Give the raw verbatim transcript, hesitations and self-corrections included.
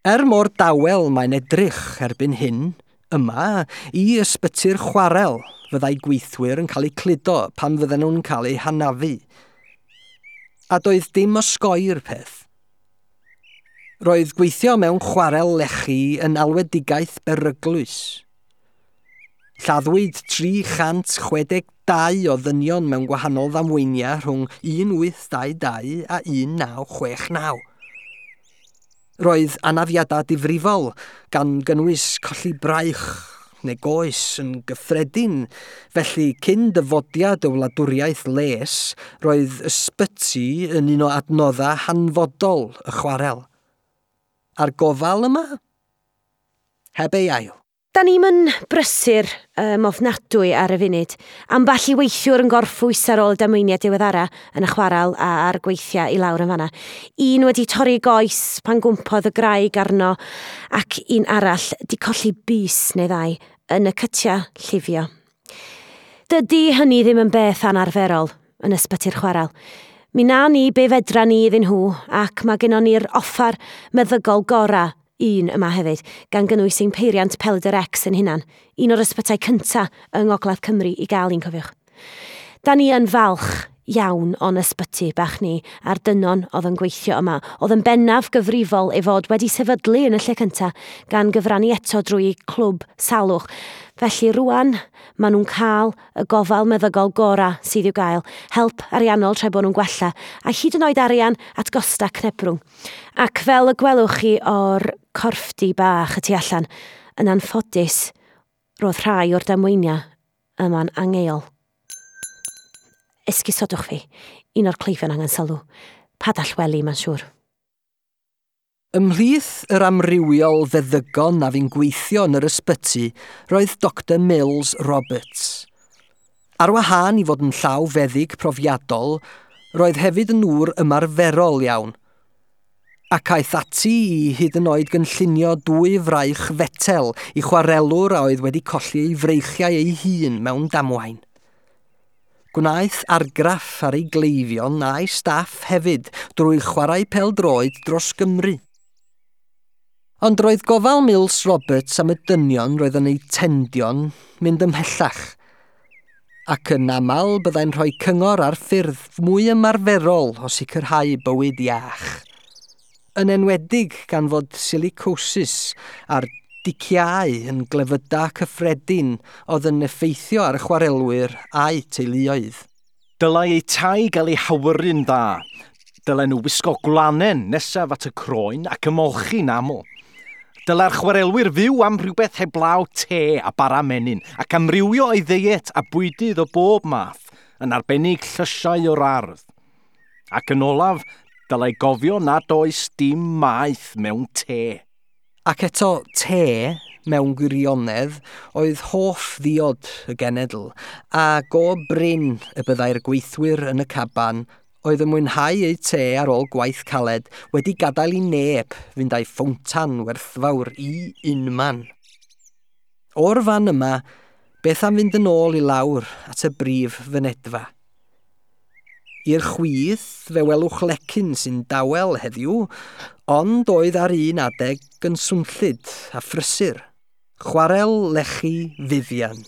Er mor dawel mae'n edrych erbyn hyn, yma, i ysbyty'r chwarel fyddai gweithwyr yn cael eu cludo pan fydden nhw'n cael eu hanafu. A doedd dim osgoi'r peth. Roedd gweithio mewn chwarel lechi yn alwedigaeth beryglus. Lladdwyd tri chant chwe deg dau o ddynion mewn gwahanol ddamweiniau rhwng un wyth dau dau a un naw chwech naw. Roedd anafiadau difrifol, gan gynnwys colli braich neu goes yn gyffredin, felly cyn dyfodiad y wladwriaeth les, roedd ysbyty yn un o adnoddau hanfodol y chwarel. A'r gofal yma? Heb ei ail. Da ni'm yn brysur um, ofnadwy ar y funud. Ambell i weithiwr yn gorffwys ar ôl y damweiniau diweddara yn y chwarel a ar gweithiau i lawr yn fanna. Un wedi torri goes pan gwmpodd y graig arno ac un arall di colli bys neu ddau yn y cytia llifio. Dydy hynny ddim yn beth anarferol yn ysbyty'r chwarel. Mi na ni be fedra ni iddyn nhw ac mae gennon ni'r offer meddygol gora un yma hefyd, gan gynnwys ein peiriant Pelydr X yn hunan, un o'r ysbytai cynta yng Ngogledd Cymru i gael un, cofiwch. Da ni yn falch iawn o'n ysbyty bach ni a'r dynon oedd yn gweithio yma, oedd yn bennaf gyfrifol ei fod wedi sefydlu yn y lle cynta, gan gyfrannu eto drwy clwb salwch. Felly rwan, maen nhw'n cael y gofal meddygol gora sydd i'w gael, help ariannol tra bod nhw'n gwella, a hyd yn oed arian at gosta cnebrwng. Ac fel y gwelwch chi o'r corffdi bach y tu allan, yn anffodus, roedd rhai o'r damweiniau yma'n angheuol. Esgusodwch fi, un o'r cleifion angen sylw. Padall wely, mae'n siŵr. Ymhlith yr amrywiol feddygon a fu'n gweithio yn yr ysbyty roedd Doctor Mills Roberts. Ar wahân i fod yn llaw feddyg profiadol, roedd hefyd yn ŵr ymarferol iawn. Ac aeth ati i hyd yn oed gynllunio dwy fraich fetel i chwarelwr a oedd wedi colli ei freichiau ei hun mewn damwain. Gwnaeth argraff ar ei gleifion a'i staff hefyd drwy chwarae pêl-droed dros Gymru. Ond roedd gofal Mills Roberts am y dynion roedd yn eu tendion mynd ymhellach, ac yn aml byddai'n rhoi cyngor ar ffyrdd mwy ymarferol o sicrhau bywyd iach. Yn enwedig gan fod silicosis a'r diciau yn glefydau cyffredin oedd yn effeithio ar y chwarelwyr a'u teuluoedd. Dylai eu tai gael eu hawyru'n dda. Dylen nhw wisgo gwlanen nesaf at y croen ac ymolchi'n aml. Dylai'r chwarelwyr fyw am rhywbeth heblaw te a bara menyn ac amrywio ei ddeiet a bwydydd o bob math, yn arbennig llysiau o'r ardd. Ac yn olaf, dylai gofio nad oes dim maeth mewn te. Ac eto, te, mewn gwirionedd, oedd hoff ddiod y genedl, a go brin y byddai'r gweithwyr yn y caban oedd yn mwynhau eu te ar ôl gwaith caled wedi gadael i neb fynd â'i ffowntan werthfawr i unman. O'r fan yma, beth am fynd yn ôl i lawr at y brif fynedfa? I'r chwith, fe welwch lecyn sy'n dawel heddiw, ond oedd ar un adeg yn swnllyd a phrysur. Chwarel lechi Vivian.